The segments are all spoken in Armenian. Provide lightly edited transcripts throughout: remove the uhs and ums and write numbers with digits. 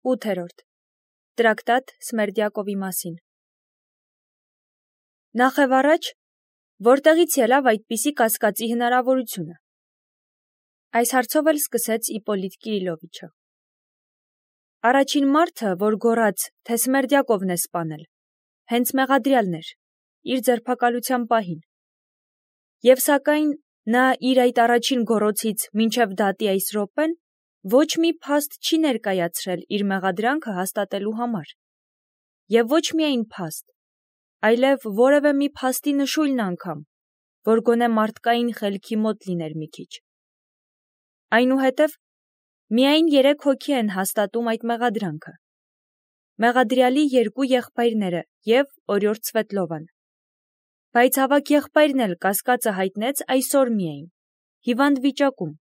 8. Տրակտատ Սմերդյակովի մասին։ Նախևառաջ, որտեղից ելավ այդպիսի կասկածի հնարավորությունը։ Այս հարցով էլ սկսեց Իպոլիտ Կիրիլովիչը։ Առաջին մարդը, որ գոռաց, թե Սմերդյակովն է սպանել, հենց Մեղադրյալն էր, իր ձերբակալության պահին։ Եվ սակայն նա իր այդ առաջին գոռոցից մինչև դատի այս րոպեն ոչ մի փաստ չի ներկայացրել իր մեղադրանքը հաստատելու համար։ Եվ ոչ միայն փաստ, այլև որևէ մի փաստի նշույլն անգամ, որ գոնե մարդկային խելքի մոտ լիներ մի քիչ։ Այնուհետև միայն 3 հոգի են հաստատում այդ մեղադրանքը. Մեղադրյալի 2 եղբայրները և օրիորդ Սվետլովան։ Բայց ավագ եղբայրն էլ կասկածը հայտնեց այսօր միայն, հիվանդ վիճակում,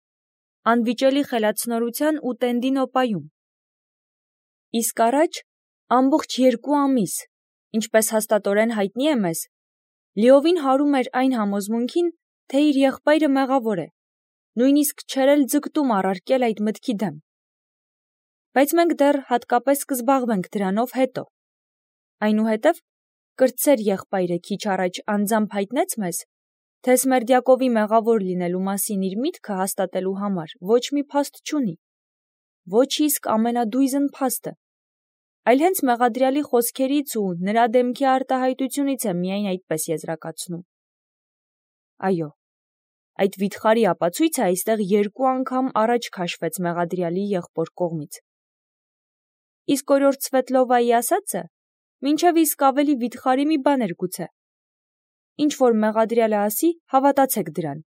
անվիճելի խելացնորության ու տենդի նոպայում։ Իսկ առաջ ամբողջ 2 ամիս, ինչպես հաստատորեն հայտնի է մեզ, լիովին հարում էր այն համոզմունքին, թե իր եղբայրը մեղավոր է, նույնիսկ չէր էլ ձգտում առարկել այդ մտքի դեմ։ Բայց մենք դեռ հատկապես կզբաղվենք դրանով հետո։ Այնուհետև կրտսեր եղբայրը քիչ առաջ անձամբ հայտնեց մեզ, թե Սմերդյակովի մեղավոր լինելու մասին իր միտքը հաստատելու համար ոչ մի փաստ չունի, ոչ իսկ ամենադույզն փաստը, այլ հենց Մեղադրյալի խոսքերից ու նրա դեմքի արտահայտությունից է միայն այդպես եզրակացնում։ Այո, այդ վիթխարի ապացույցը այստեղ 2 անգամ առաջ քաշվեց Մեղադրյալի եղբոր կողմից։ Իսկ օրիորդ Սվետլովայի ասածը մինչև իսկ ավելի վիթխարի մի բան էր գուցե։ Ինչ որ Մեղադրյալը ասի, հավատացեք դրան,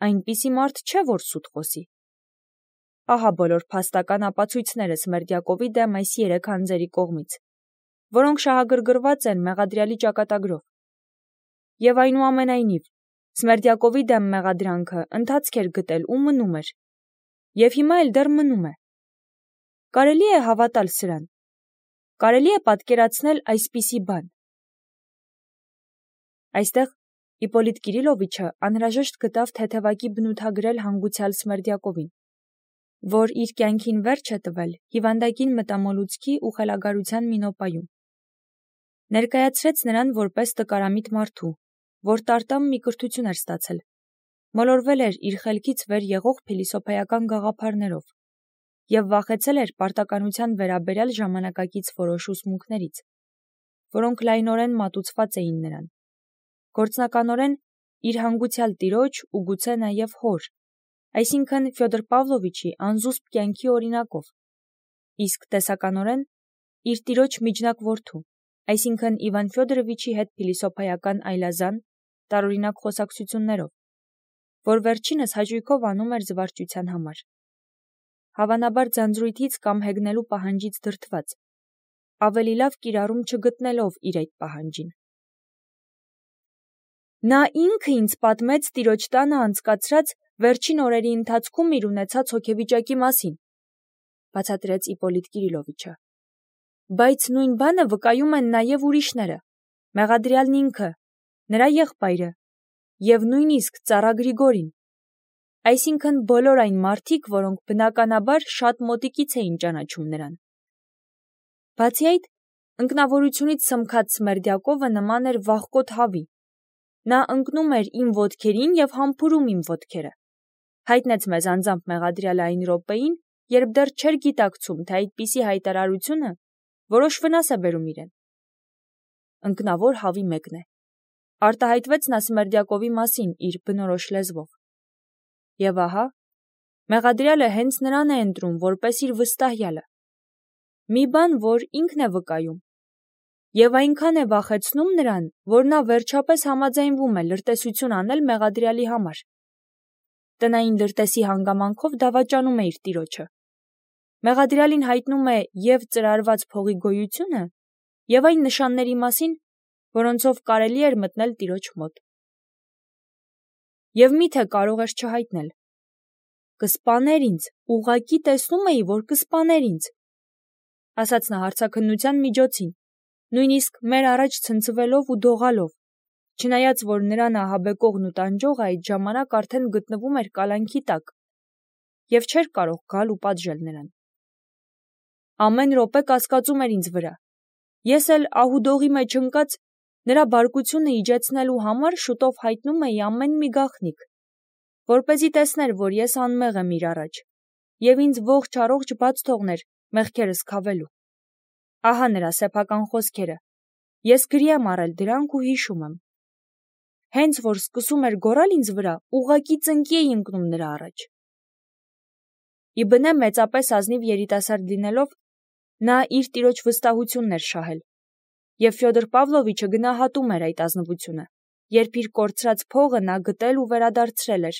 այնպիսի մարդ չէ, որ սուտ խոսի։ Ահա բոլոր փաստական ապացույցները Սմերդյակովի դեմ այս 3 անձերի կողմից, որոնք շահագրգռված են Մեղադրյալի ճակատագրով։ Եվ այնուամենայնիվ, Սմերդյակովի դեմ մեղադրանքը ընթացք էր գտել ու մնում էր։ Եվ հիմա էլ դեռ մնում է։ Կարելի է հավատալ սրան։ Կարելի է պատկերացնել այսպիսի բան։ Այստեղ Իպոլիտ Կիրիլովիչը անհրաժեշտ գտավ թեթևակի բնութագրել հանգուցյալ Սմերդյակովին, որ իր կյանքին վերջ է տվել հիվանդագին մտամոլուցքի ու խելագարության մի նոպայում։ Ներկայացրեց նրան որպես տկարամիտ մարդու, որ տարտամ մի կրթություն էր ստացել, մոլորվել էր իր խելքից վեր եղող փիլիսոփայական գաղափարներով և վախեցել էր պարտականության վերաբերյալ ժամանակակից որոշ ուսմունքներից, որոնք լայնորեն մատուցված էին նրան, գործնականորեն իր հանգուցյալ տիրոջ ու գուցե նաև հոր, այսինքն Ֆյոդոր Պավլովիչի անզուսպ կյանքի օրինակով, իսկ տեսականորեն իր տիրոջ միջնակ որդու, այսինքն Իվան Ֆյոդորովիչի հետ փիլիսոփայական այլազան, տարօրինակ խոսակցություններով, որ վերջինս հաճույքով անում էր զվարճության համար, հավանաբար ձանձրույթից կամ հեգնելու պահանջից դրդված, ավելի լավ կիրառում չգտնելով իր այդ պահանջին։ Նա ինքը ինձ պատմեց տիրոջ տանը անցկացրած վերջին օրերի ընթացքում իր ունեցած հոգեվիճակի մասին, բացատրեց Իպոլիտ Կիրիլովիչը։ Բայց նույն բանը վկայում են նաև ուրիշները, Մեղադրյալն ինքը, նրա եղբայրը և նույնիսկ ծառա Գրիգորին, այսինքն բոլոր այն մարդիկ, որոնք բնականաբար շատ մոտիկից էին ճանաչում նրան։ Բացի այդ, ընկնավորությունից սմքած Սմերդյակովը նման էր վախկոտ հավի։ Նա ընկնում էր իմ ոտքերին և համբուրում իմ ոտքերը։ Հայտնեց մեզ անձամբ Մեղադրյալը այն րոպեին, երբ դեռ չէր գիտակցում, թե այդպիսի հայտարարությունը որոշ վնաս է բերում իրեն։ Ընկնավոր հավի մեկն է։ Արտահայտվեց նա Սմերդյակովի մասին իր բնորոշ լեզվով։ Եվ ահա, Մեղադրյալը հենց նրան է ընտրում որպես իր վստահյալը։ Մի բան, որ ինքն է վկայում։ Եվ այնքան է վախեցնում նրան, որ նա վերջապես համաձայնվում է լրտեսություն անել Մեղադրյալի համար։ Տնային լրտեսի հանգամանքով դավաճանում է իր տիրոջը։ Մեղադրյալին հայտնում է և ծրարված փողի գոյությունը, և այն նշանների մասին, որոնցով կարելի էր մտնել տիրոջ մոտ։ Եվ միթե կարող էր չհայտնել։ Կսպաներ ինձ, ուղղակի տեսնում էի, որ կսպաներ ինձ, ասաց նա հարցաքննության միջոցին, նույնիսկ մեր առաջ ցնցվելով ու դողալով, չնայած որ նրան ահաբեկողն ու տանջողը այդ ժամանակ արդեն գտնվում էր կալանքի տակ և չէր կարող գալ ու պատժել նրան։ ամեն րոպե կասկածում էր ինձ վրա։ Ես էլ ահուդողի մեջ ընկած նրա բարկությունը իջեցնելու համար շուտով հայտնում էի ամեն մի գաղտնիք, որպեսզի տեսներ, որ ես անմեղ եմ իր առաջ, և ինձ ողջ առողջ բաց թողներ մեղքերս քավելու։ Ահա նրա սեփական խոսքերը։ Ես գրի եմ առել դրանք ու հիշում եմ։ Հենց որ սկսում էր գոռալ ինձ վրա, ուղղակի ծնկի էի ընկնում նրա առաջ։ Իբնե մեծապես ազնիվ երիտասարդ լինելով, նա իր տիրոջ վստահությունն էր շահել, և Ֆյոդոր Պավլովիչը գնահատում էր այդ ազնվությունը, երբ իր կորցրած փողը նա գտել ու վերադարձրել էր։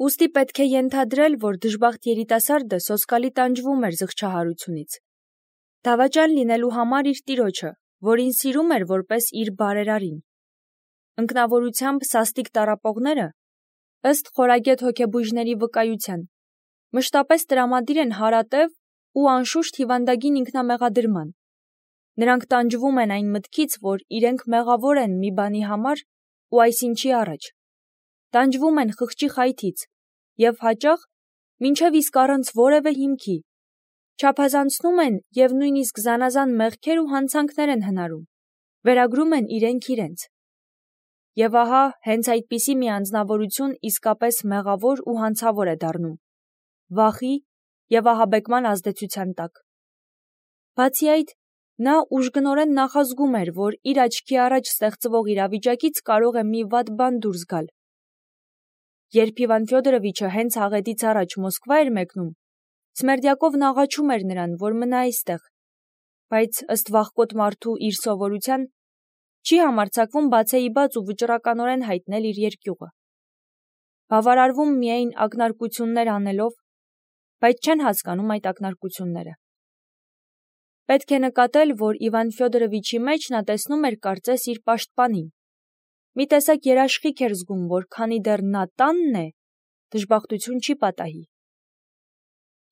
Ուստի պետք է ենթադրել, որ դժբախտ երիտասարդը սոսկալի տանջվում էր զղջահարությունից։ Դավաճան լինելու համար իր տիրոջը, որին սիրում էր որպես իր բարերարին։ Ընկնավորությամբ սաստիկ տառապողները, ըստ խորագետ հոգեբույժների վկայության, մշտապես տրամադիր են հարատև ու անշուշտ հիվանդագին ինքնամեղադրման։ Նրանք տանջվում են այն մտքից, որ իրենք մեղավոր են մի բանի համար ու այսինչի առաջ։ Տանջվում են խղճի խայթից և հաճախ մինչև իսկ առանց որևէ հիմքի, չափազանցնում են և նույնիսկ զանազան մեղքեր ու հանցանքներ են հնարում, վերագրում են իրենք իրենց։ Եվ ահա հենց այդպիսի մի անձնավորություն իսկապես մեղավոր ու հանցավոր է դառնում, վախի և ահաբեկման ազդեցության տակ։ Բացի այդ, նա ուժգնորեն նախազգում էր, որ իր աչքի առաջ ստեղծվող իրավիճակից կարող է մի վատ բան դուրս գալ։ Երբ Իվան Ֆյոդորովիչը հենց աղետից առաջ Մոսկվա էր մեկնում, Սմերդյակովն աղաչում էր նրան, որ մնա այստեղ, բայց ըստ վախկոտ մարդու իր սովորության, չի համարձակվում բացեիբաց ու վճռականորեն հայտնել իր երկյուղը։ Բավարարվում միայն ակնարկություններ անելով, բայց չեն հասկանում այդ ակնարկությունները։ Պետք է նկատել, որ Իվան Ֆյոդորովիչի մեջ նա տեսնում էր կարծես իր պաշտպանին։ Մի տեսակ երաշխիք էր զգում, որ քանի դեռ նա տանն է, դժբախտություն չի պատահի։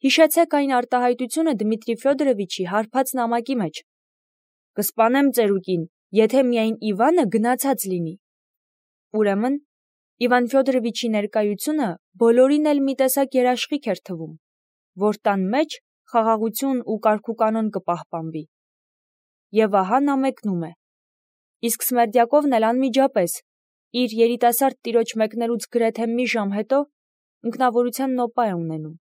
Հիշեցեք այն արտահայտությունը Դմիտրի Ֆյոդորովիչի հարբած նամակի մեջ. «Կսպանեմ ծերուկին, եթե միայն Իվանը գնացած լինի»։ Ուրեմն, Իվան Ֆյոդորովիչի ներկայությունը բոլորին էլ մի տեսակ երաշխիք էր թվում, որ տան մեջ խաղաղություն ու կարգուկանոն կպահպանվի։ Եվ ահա նա մեկնում է։ Իսկ Սմերդյակովն էլ անմիջապես, իր երիտասարդ տիրոջ մեկնելուց գրեթե մի ժամ հետո, ընկնավորության նոպա է ունենում։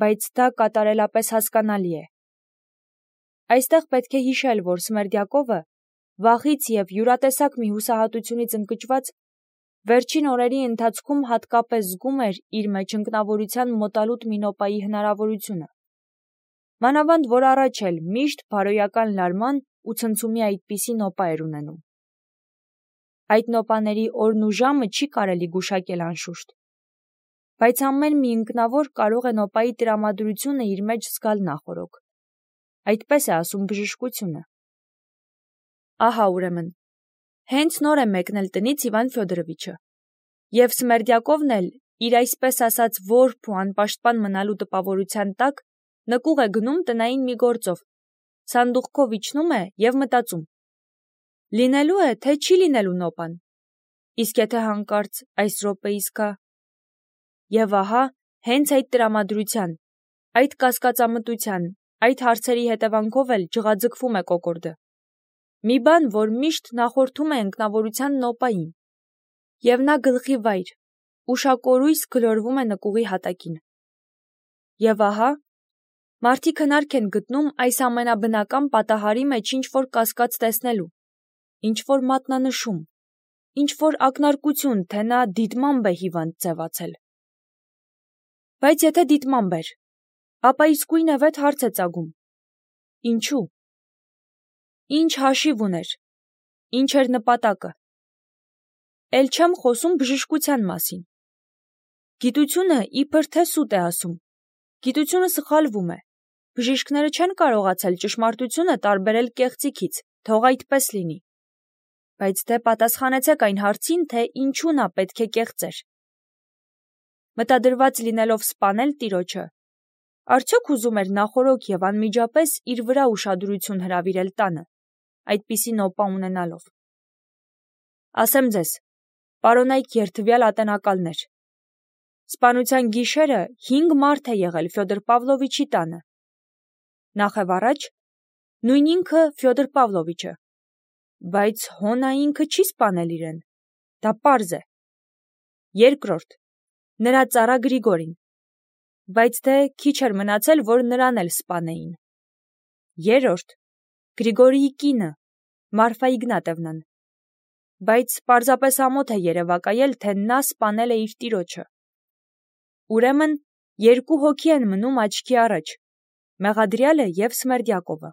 Բայց դա կատարելապես հասկանալի է։ Այստեղ պետք է հիշել, որ Սմերդյակովը, վախից և յուրատեսակ մի հուսահատությունից ընկճված, վերջին օրերի ընթացքում հատկապես զգում էր իր մեջ ընկնավորության մոտալուտ մի նոպայի հնարավորությունը։ Մանավանդ, որ առաջ էլ միշտ բարոյական լարման ու ցնցումի այդպիսի նոպա էր ունենում։ Այդ նոպաների օրն ու ժամը չի կարելի գուշակել անշուշտ, բայց ամեն մի ընկնավոր կարող է նոպայի տրամադրությունը իր մեջ զգալ նախօրոք։ Այդպես է ասում բժշկությունը։ Ահա ուրեմն, հենց նոր է մեկնել տնից Իվան Ֆյոդորովիչը, և Սմերդյակովն էլ իր այսպես ասած որբ ու անպաշտպան մնալու տպավորության տակ նկուղ է գնում տնային մի գործով, սանդուղքով իջնում է և մտածում. լինելու է, թե չի լինելու նոպան, իսկ եթե հանկարծ այս րոպեիս գա։ Եվ ահա, հենց այդ տրամադրության, այդ կասկածամտության, այդ հարցերի հետևանքով էլ ջղաձգվում է կոկորդը։ Մի բան, որ միշտ նախորդում է ընկնավորության նոպային, և նա գլխի վայր, ուշակորույս գլորվում է նկուղի հատակին։ Եվ ահա, մարդիկ հնարք են գտնում այս ամենաբնական պատահարի մեջ ինչ-որ կասկած տեսնելու, ինչ-որ մատնանշում, ինչ-որ ակնարկություն, թե նա դիտմամբ է հիվանդ ձևացել։ Բայց եթե դիտմամբ էր, ապա իսկույնևեթ հարց է ծագում. ինչու՞։ Ինչ հաշիվ ուներ, ինչ էր նպատակը։ Էլ չեմ խոսում բժշկության մասին։ Գիտությունը իբր թե սուտ է ասում, գիտությունը սխալվում է, բժիշկները չեն կարողացել ճշմարտությունը տարբերել կեղծիքից, թող այդպես լինի։ Բայց դե պատասխանեցեք այն հարցին, թե ինչու նա պետք է կեղծեր։ Մտադրված լինելով սպանել տիրոջը, արդյոք ուզում էր նախօրոք և անմիջապես իր վրա ուշադրություն հրավիրել տանը, այդպիսի նոպա ունենալով։ Ասեմ ձեզ, պարոնայք երդվյալ ատենակալներ, սպանության գիշերը 5 մարդ է եղել Ֆյոդոր Պավլովիչի տանը, Նախևառաջ, նույն ինքը Ֆյոդոր Պավլովիչը, բայց հոնա ինքը չի սպանել իրեն, դա պարզ է։ Երկրորդ, նրա ծառա Գրիգորին, բայց թե քիչ էր մնացել, որ նրան էլ սպանեին։ Երրորդ, Գրիգորիի կինը, Մարֆա Իգնատևնան, բայց պարզապես ամոթ է երևակայել, թե նա սպանել է իր տիրոջը։ Ուրեմն երկու հոգի են մնում աչքի առաջ, Մեղադրյալը և Սմերդյակովը։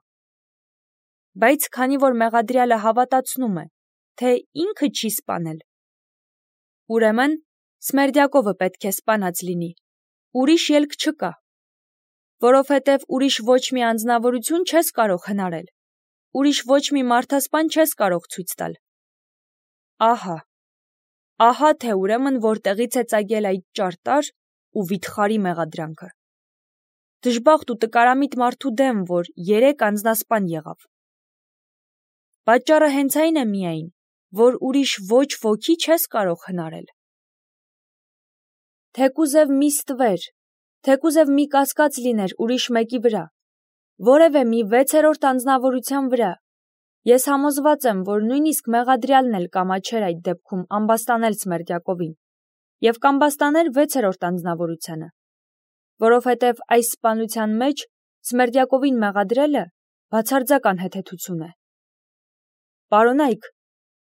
Բայց քանի որ Մեղադրյալը հավատացնում է, թե ինքը չի սպանել, ուրեմն Սմերդյակովը պետք է սպանած լինի, ուրիշ ելք չկա, որովհետև ուրիշ ոչ մի անձնավորություն չես կարող հնարել, ուրիշ ոչ մի մարդասպան չես կարող ցույց տալ։ Ահա թե ուրեմն որտեղից է ծագել այդ ճարտար ու վիթխարի մեղադրանքը։ Դժբախտ ու տկարամիտ մարդու դեմ, որ 3 անձնասպան եղավ։ Պատճառը հենց այն է միայն, որ ուրիշ ոչ ոքի չես կարող հնարել։ Թեկուզև մի ստվեր, թեկուզև մի կասկած լիներ ուրիշ մեկի վրա, որևէ մի 6-րդ անձնավորության վրա, ես համոզված եմ, որ նույնիսկ Մեղադրյալն էլ կամաչեր այդ դեպքում ամբաստանել Սմերդյակովին և կամբաստաներ 6-րդ անձնավորությանը, որովհետև այս սպանության մեջ Սմերդյակովին մեղադրելը բացարձակ անհեթեթություն է։ Պարոնայք,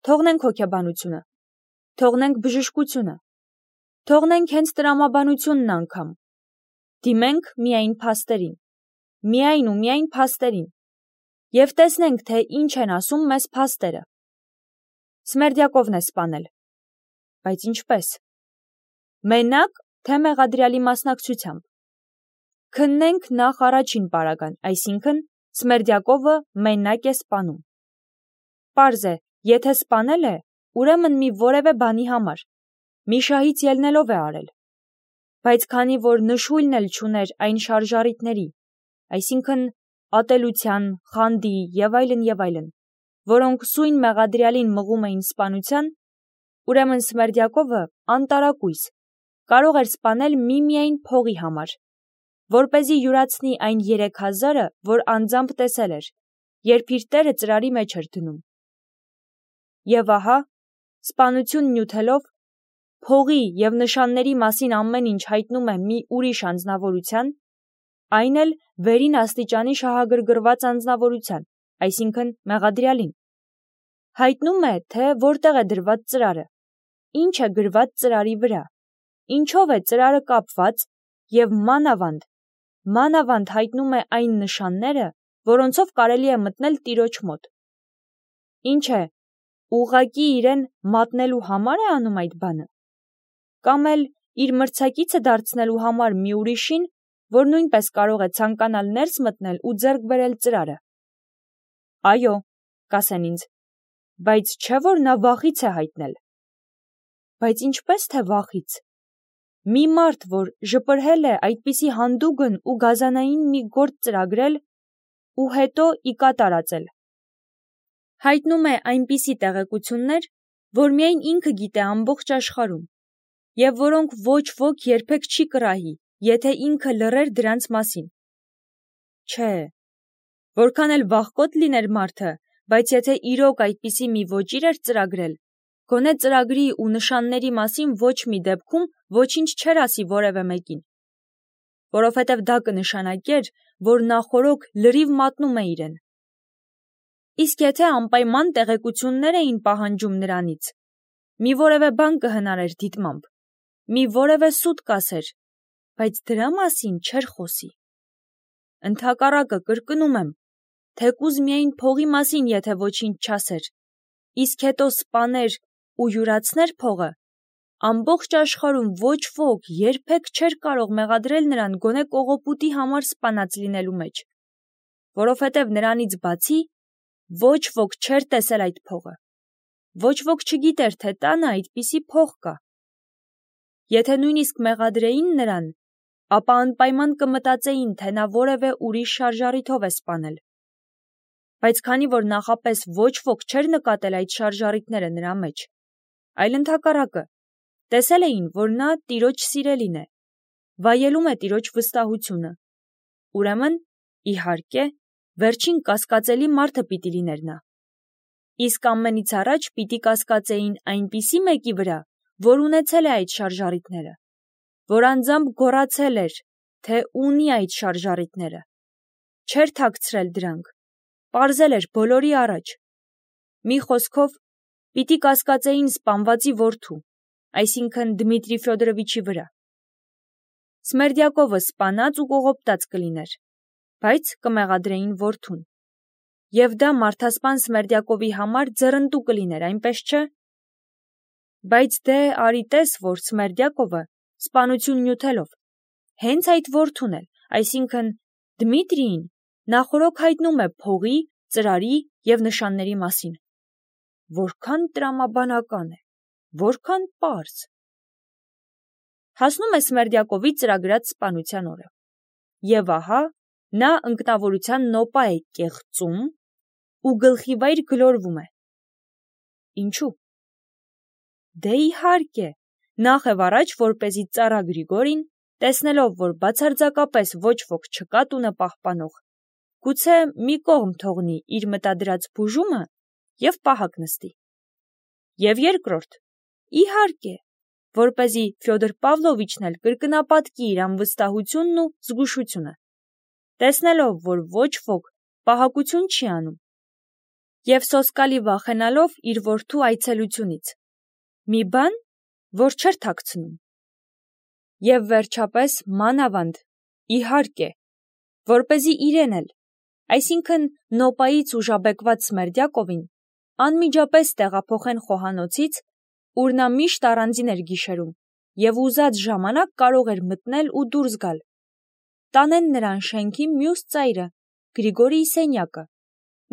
թողնենք հոգեբանությունը, թողնենք բժշկությունը, թողնենք հենց տրամաբանությունն անգամ, դիմենք միայն փաստերին, միայն ու միայն փաստերին, և տեսնենք, թե ինչ են ասում մեզ փաստերը։ Սմերդյակովն է սպանել, բայց ինչպես։ Մենակ, թե Մեղադրյալի մասնակցությամբ։ Քննենք նախ առաջին պարագան, այսինքն Սմերդյակովը մենակ է սպանում։ Պարզ է, եթե սպանել է, ուրեմն մի որևէ բանի համար, մի շահից ելնելով է արել։ Բայց քանի որ նշույլն էլ չուներ այն շարժառիթների, այսինքն ատելության, խանդի և այլն, որոնք սույն Մեղադրյալին մղում էին սպանության, ուրեմն Սմերդյակովը անտարակույս կարող էր սպանել միմիայն փողի համար, որպեսզի յուրացնի այն 3000-ը, որ անձամբ տեսել էր, երբ իր տերը ծրարի մեջ էր դնում։ Եվ ահա, սպանություն նյութելով, փողի և նշանների մասին ամեն ինչ հայտնում է մի ուրիշ անձնավորության, այն էլ վերին աստիճանի շահագրգռված անձնավորության, այսինքն Մեղադրյալին։ Հայտնում է, թե որտեղ է դրված ծրարը, ինչ է գրված ծրարի վրա, ինչով է ծրարը կապված և մանավանդ հայտնում է այն նշանները, որոնցով կարելի է մտնել տիրոջ մոտ։ Ինչ է, ուղղակի իրեն մատնելու համար է անում այդ բանը, կամ էլ իր մրցակիցը դարձնելու համար մի ուրիշին, որ նույնպես կարող է ցանկանալ ներս մտնել ու ձեռք բերել ծրարը։ Այո, կասեն ինձ, բայց չէ՞ որ նա վախից է հայտնել։ Բայց ինչպես թե վախից։ Մի մարդ, որ ժպրհել է այդպիսի հանդուգն ու գազանային մի գործ ծրագրել ու հետո ի կատարածել։ Հայտնում է այնպիսի տեղեկություններ, որ միայն ինքը գիտե ամբողջ աշխարհում, և որոնք ոչ ոք երբեք չի կռահի, եթե ինքը լռեր դրանց մասին։ Չէ, որքան էլ վախկոտ լիներ մարդը, բայց եթե իրոք այդպիսի մի ոճիր էր ծրագրել, գոնե ծրագրի ու նշանների մասին ոչ մի դեպքում ոչինչ չէր ասի որևէ մեկին, որովհետև դա կնշանակեր, որ նախօրոք լրիվ մատնում է իրեն։ Իսկ եթե անպայման տեղեկություններ էին պահանջում նրանից, մի որևէ բան կհնարեր դիտմամբ, մի որևէ սուտ կասեր, բայց դրա մասին չէր խոսի։ Ընդհակառակը կրկնում եմ, թեկուզ միայն փողի մասին եթե ոչինչ չասեր, իսկ հետո սպաներ ու յուրացներ փողը, ամբողջ աշխարհում ոչ ոք երբեք չէր կարող մեղադրել նրան գոնե կողոպուտի համար սպանած լինելու մեջ, որովհետև նրանից բացի ոչ ոք չէր տեսել այդ փողը, ոչ ոք չգիտեր, թե տանը այդպիսի փող կա։ Եթե նույնիսկ մեղադրեին նրան, ապա անպայման կմտածեին, թե նա որևէ ուրիշ շարժառիթով է սպանել։ Բայց քանի որ նախապես ոչ ոք չէր նկատել այդ շարժառիթները նրա մեջ, այլ ընդհակառակը, տեսել էին, որ նա տիրոջ սիրելին է, վայելում է տիրոջ վստահությունը, ուրեմն Իհարկե, վերջին կասկածելի մարդը պիտի լիներ նա։ Իսկ ամենից առաջ պիտի կասկածեին այնպիսի մեկի վրա, որ ունեցել է այդ շարժառիթները, որ անձամբ գոռացել էր, թե ունի այդ շարժառիթները, չէր թաքցրել դրանք, պարզել էր բոլորի առաջ։ Մի խոսքով, պիտի կասկածեին սպանվածի որդու, այսինքն Դմիտրի Ֆյոդորովիչի վրա։ Սմերդյակովը սպանած ու կողոպտած կլիներ, բայց կմեղադրեին որդուն։ Եվ դա մարդասպան Սմերդյակովի համար ձեռնտու կլիներ, այնպես չէ։ Բայց դե արի տես, որ Սմերդյակովը սպանություն նյութելով, հենց այդ որդուն էլ, այսինքն Դմիտրիին, նախօրոք հայտնում է փողի, ծրարի և նշանների մասին։ Որքան տրամաբանական է, որքան պարզ։ Հասնում է Սմերդյակովի ծրագրած սպանության օրը։ Եվ ահա, նա ընկնավորության նոպա է կեղծում ու գլխիվայր գլորվում է։ Ինչու՞։ Դե իհարկե, նախ և առաջ, որպեսզի ծառա Գրիգորին, տեսնելով, որ բացարձակապես ոչ ոք չկա տունը պահպանող, գուցե մի կողմ թողնի իր մտադրած բուժումը և պահակ նստի։ Եվ երկրորդ, իհարկե, որպեսզի Ֆյոդոր Պավլովիչն էլ կրկնապատկի իր անվստահությունն ու զգուշությունը, տեսնելով, որ ոչ ոք պահակություն չի անում, և սոսկալի վախենալով իր որդու այցելությունից, մի բան, որ չէր թաքցնում։ Եվ վերջապես մանավանդ, իհարկե, որպեսզի իրեն էլ, այսինքն նոպայից ուժաբեկված Սմերդյակովին, անմիջապես տեղափոխեն խոհանոցից, ուր նա միշտ առանձին էր գիշերում և ուզած ժամանակ կարող էր մտնել ու դուրս գալ, տանեն նրան շենքի մյուս ծայրը, Գրիգորիի սենյակը,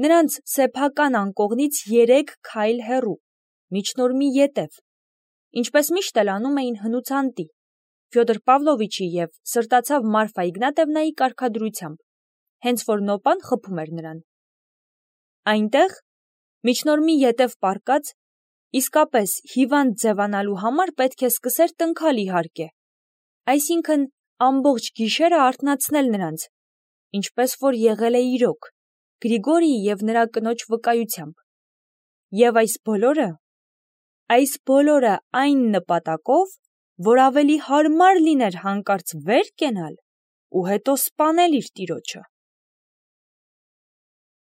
նրանց սեփական անկողնից 3 քայլ հեռու, միջնորմի ետև, ինչպես միշտ էլ անում էին հնուց անտի, Ֆյոդոր Պավլովիչի և սրտացավ Մարֆա Իգնատևնայի կարգադրությամբ, հենց որ նոպան խփում էր նրան։ Այնտեղ, միջնորմի ետև պառկած, իսկապես հիվանդ ձևանալու համար պետք է սկսեր տնքալ իհարկե, այսինքն ամբողջ գիշերը արթնացնել նրանց, ինչպես որ եղել է իրոք, Գրիգորիի և նրա կնոջ վկայությամբ։ Եվ այս բոլորը այն նպատակով, որ ավելի հարմար լիներ հանկարծ վեր կենալ ու հետո սպանել իր տիրոջը։